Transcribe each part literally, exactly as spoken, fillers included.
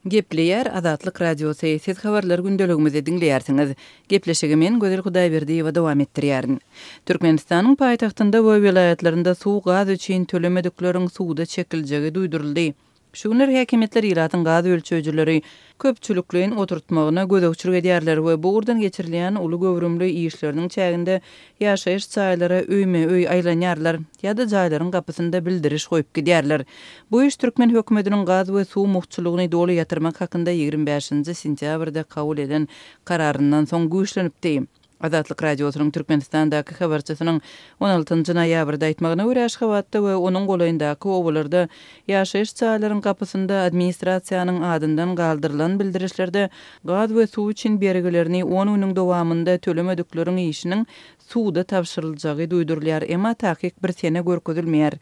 Gepleýär Azatlyk Radiosy, siz habarlar gündeligimizi diňleýärsiňiz. Gepleşigi men Gözel Hudaýberdiýewa dowam etdirýärin. Türkmenistanyň paýtagtynda we welaýatlarynda suw gaz üçin tölemedikleriň suda çekiljegi duýduryldy. Şu günler häkimiýetler ilatyň gaz ölçeýjileri köpçülikleýin oturtmagyna gözegçilik edýärler we bu ugurdan geçirilýän uly göwrümli işleriniň çäginde ýaşaýyş jaýlara öýme-öý aýlanýarlar ýa-da jaýlaryň gapysynda bildiriş goýup gidýärler. Bu iş türkmen hökümetiniň gaz we suw mugtçulygyny doly ýatyrmak hakynda ýigrimi bäşinji sentýabrda kabul eden kararyndan soň güýçlenipdi. Azatlyk Radiosynyň Türkmenistandaky habarçysynyň on altynjy noýabrda aýtmagyna görä, Aşgabatda we onuň golaýyndaky obalarda ýaşaýyş jaýlaryň gapysynda administrasiýanyň adyndan galdyrylan bildirişlerde gaz we suw üçin bergilerini on günüň dowamynda tölemedikleriň işiniň suda tabşyryljagy duýdurylýar, emma takyk bir sene görkezilmeýär.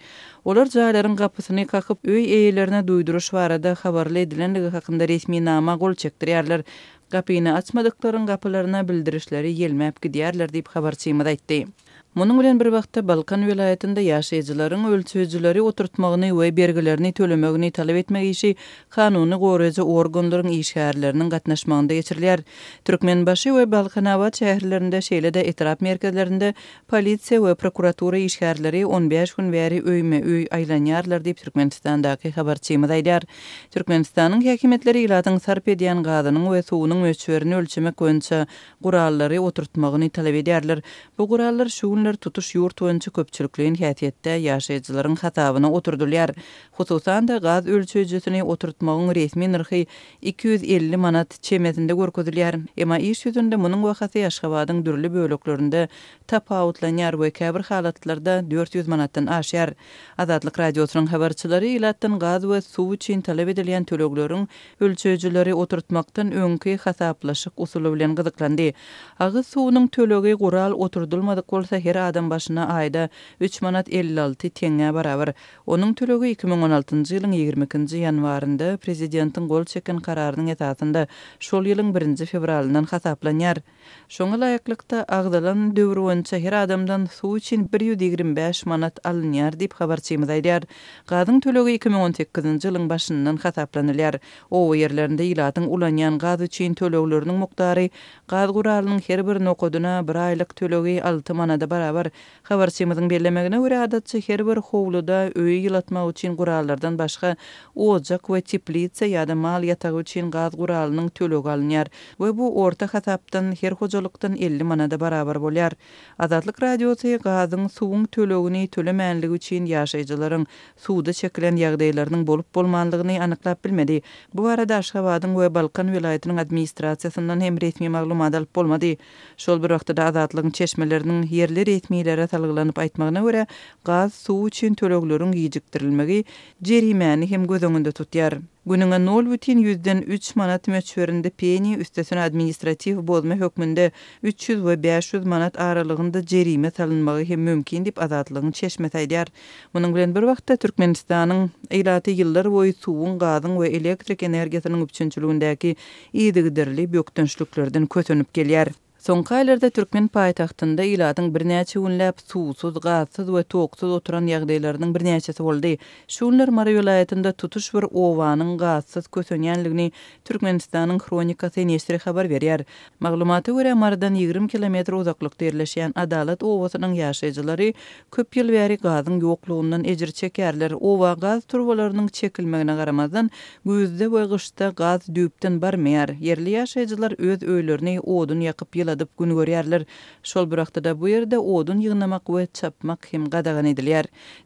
Olar jaýlaryň gapysyny kakyp, öý eýelerine duýduryş barada habarly edilendigi hakynda resminama gol çekdirýärler. Gapyny açmadyklaryň gapylaryna bildirişleri ýelmäp gidýärler diýip habarçymyz aýtdy. Munuň bilen bir wagtda Balkan welaýatynda ýaşaýjylaryň ölçeýjileri oturtmagyny we bergilerini tölemegini talap etmek işi kanuny goraýjy organlaryň işgärleriniň gatnaşmagynda geçirilýär. Türkmenbaşy we Balkanabat şäherlerinde şeýle-de etrap merkezlerinde polisiýa we prokuratura işgärleri on bäş gün bäri öýme-öý aýlanýarlar diýip Türkmenistandaky habarçymyz aýdýar. Türkmenistanyň häkimiýetleri ilatyň sarp edýän gazynyň we suwunyň möçberini ölçemek boýunça gurallary oturtmagyny talap edýärler. Bu gurallar şu günler tutuş ýurt boýunça köpçülikleýin häsiýetde ýaşaýjylaryň hasabyna oturdylýar. Hususan-da gaz ölçeýjisini oturtmagyň resmi nyrhy iki ýüz elli manat çemesinde görkezilýär. Emma iş ýüzünde munuň bahasy Aşgabadyň dürli böleklerinde tapawutlanýar we käbir halatlarda dört ýüz manatdan aşýar. Azatlyk Radiosynyň habarçylary ilatdan gaz we suw üçin talap edilýän tölegleriň ölçeýjileri oturtmakdan öňki hasaplaşyk usuly bilen gyzyklandy. Agyz suwunyň tölegi gural oturdylmadyk bolsa her adam başyna aýda üç manat elli alty teňňä barabar. Onuň tölegi iki müň on altynjy ýylyň ýigrimi ikinji ýanwarynda prezidentiň gol çeken kararynyň esasynda şol ýylyň birinji fewralyndan hasaplanýar. Şoňa laýyklykda agzalan döwür boýunça her adamdan suw üçin bir ýüz ýigrimi bäş manat alynýar diýip habarçymyz aýdýar. Gazyň tölegi iki müň on sekizinji ýylyň başyndan hasaplanylýar. Oba ýerlerinde ilatyň ulanýan gaz üçin tölegleriniň mukdary gaz guralynyň her bir nokadyna bir aýlyk tölegi alty manada barabar. Habarçymyzyň bellemegine görä adatça her bir howluda öýi ýylatmak üçin gurallardan başga ojak we teplitsa ýa-da mal ýatagy üçin gaz guralynyň tölegi alynýar we bu orta hasapdan her hojalykdan elli manada barabar bolýar. Azatlyk Radiosy gazyň suwuň tölegini tölemänligi üçin ýaşaýjylaryň suwda çekilen ýagdaýlarynyň bolup bolmanlygyny anyklap bilmedi. Bu barada Aşgabadyň we Balkan welaýatynyň administrasiýasyndan hem resmi maglumat alyp bolmady. Şol bir wagtda Azatlygyň çeşmeleriniň ýerli resmilere salgylanyp aýtmagyna görä, gaz suw üçin tölegleriň gijikdirilmegi jerimäni hem göz öňünde tutýar. Günüňe nol bütin ýüzden üç manat möçberinde peni üstesine administratiw bozma hökmünde üç ýüz we bäş ýüz manat aralygynda jerime salynmagy hem mümkin diýip Azatlygyň çeşmesi aýdýar. Munuň bilen bir wagtda Türkmenistanyň ilaty ýyllar boýy suwuň, gazyň we elektrik energiýasynyň üpjünçiligindäki yzygiderli bökdençliklerden kösenip gelýär. Soňky aýlarda türkmen paýtagtynda ilatyň birnäçe günläp suwsuz, gazsyz we toksuz oturan ýagdaýlarynyň birnäçesi boldy. Şu günler Mary welaýatynda tutuş bir obanyň gazsyz kösenýänligini Türkmenistanyň Hronikasy neşiri habar berýär. Maglumata görä Marydan ýigrimi kilometr uzaklykda ýerleşýän Adalat obasynyň ýaşaýjylary köp ýyl bäri gazyň ýoklugyndan ejir çekýärler. Oba gaz turbalarynyň çekilmegine garamazdan güýzde we gyşda gaz düýpden barmaýar. Ýerli ýaşaýjylar öz öýlerini odun ýakyp ýyladyp gün görýärler. Şol bir wagtda bu ýerde odun ýygnamak we çapmak hem gadagan edilýär.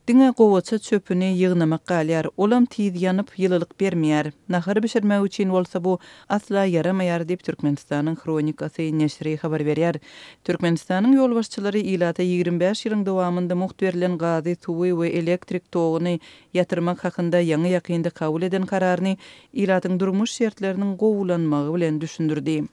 Diňe gowaça çöpüni ýygnamak galýar. Olam tiz ýanyp ýylylyk bermeýär. Nahar bişirmek üçin bolsa bu asla ýaramaýar diýip Türkmenistanyň Hronikasy neşiri habar berýär. Türkmenistanyň ýolbaşçylary ilata ýigrimi bäş ýylyň dowamynda mugt berlen gazy, suwy we elektrik toguny ýatyrmak hakynda ýaňy ýakynda kabul eden kararyny ilatyň durmuş şertleriniň gowulanmagy bilen düşündirdi.